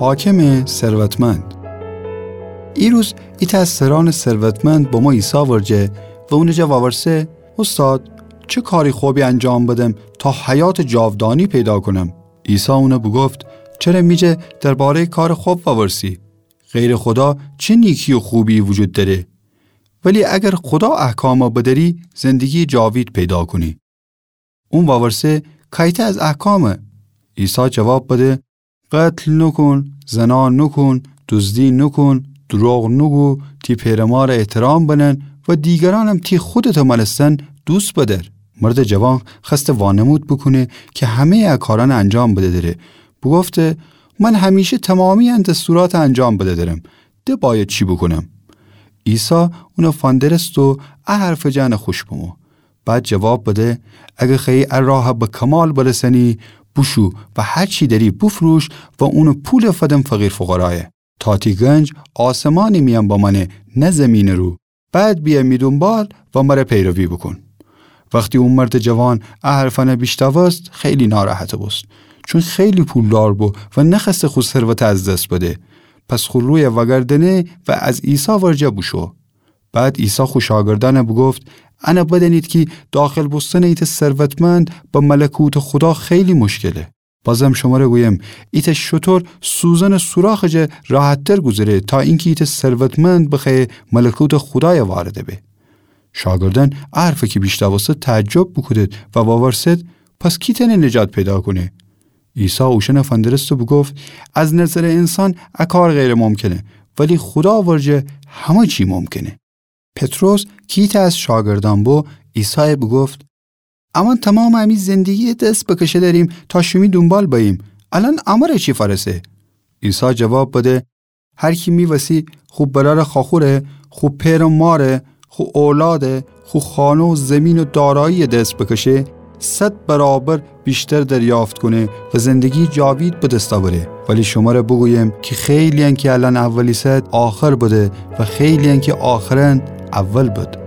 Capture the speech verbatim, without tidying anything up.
حاکمٚ ثروتمند. ایروز ایتأ از سرأنٚ ثروتمند بمو عیسی ورجه و اونٚ جا وورسه: اوستاد، چه کارٚ خبی انجام بدم تا حیاتٚ جاودانی پیدا کونم؟ عیسی اون بوگفت: چره می جا درباره‌یٚ کارٚ خب وورسی؟ غیرٚ خودا چه نیکی و خوبی وجود دأره؟ ولی اگر خودا احکام بدأری، زندگییٚ جاوید پیدا کونی. اون وورسه: کایتأ از احکام؟ عیسی جواب بده: قتل نوکون، زنا نوکون، دوزدی نوکون، دروغ نوگو، تی پئر و مار احترام بنن و دیگرأنم تی خودتٚ مأنستن دوست بدأر. مردٚ جوان خوأسته وانمود بوکونه کی همه‌یٚ ا کارأن انجام بده دره. بوگفته: من همیشه تومامی‌یٚ ا دستورات انجام بده درم. د بأید چی بوکونم؟ عیسی اون فندرست و ا حرفٚ جا ان خوش بمو. بعد جواب بده: اگر خوأیی ا راه به کمال برسأنی، بوشو و هر چی دأری بوفروش و اونٚ پول فدن فقیر فقرایه، تا تی گنج آسمانٚ میأن بمأنه نه زیمینٚ رو. بعد بیأ می دونبال و مر پیروی بوکون. وختی او مردٚ جوان ا حرفأن بیشنوست، خیلی ناراحت بوست، چون خیلی پولدار بو و نخوأسته خو ثروت از دس بده. پس خو روی وأگردأنه و از عیسی ورجه بوشو. بعد عیسی خو شاگردأن بوگفت: ان بدأنید کی داخل بوستنٚ ایتأ ثروتمند به ملکوتٚ خودا خیلی مشکله. بازم شمر گویم، ایتأ شتر سوزنٚ سوراخٚ جا راحت‌تر گوذره تا اینکی ایتأ ثروتمند بخوأیه ملکوتٚ خودای وارد به. شاگردأن ا حرف کی بیشنوستد تعجب بوکودد و وورسد: پس کی تأنه نجات پیدا کونه؟ عیسی اوشأن فندرست و بوگفت: از نظرٚ انسان ا کار غیرٚ ممکنه، ولی خودا ورجه همه چی ممکنه. پطرس کی ایتأ از شاگردأن بو، عیسای بوگفت: امأن تومامٚ امی زندگی دس بکشه دأریم تا شیمی دونبال بأییم. الأن امر چی فأرسه؟ عیسی جواب بده: هر کی می وسی خو برأرٚ خواخوره، خو پئر و ماره، خو اولاد، خو خانه و زیمین و دارایی دس بکشه، صد برابر ویشتر دریافت کونه و زندگی جاوید به دس بأره. ولی شمر بوگویم کی خیلی‌یأن کی الأن اول ایسد، آخر بده و خیلی‌یأن کی آخرأن اول بد.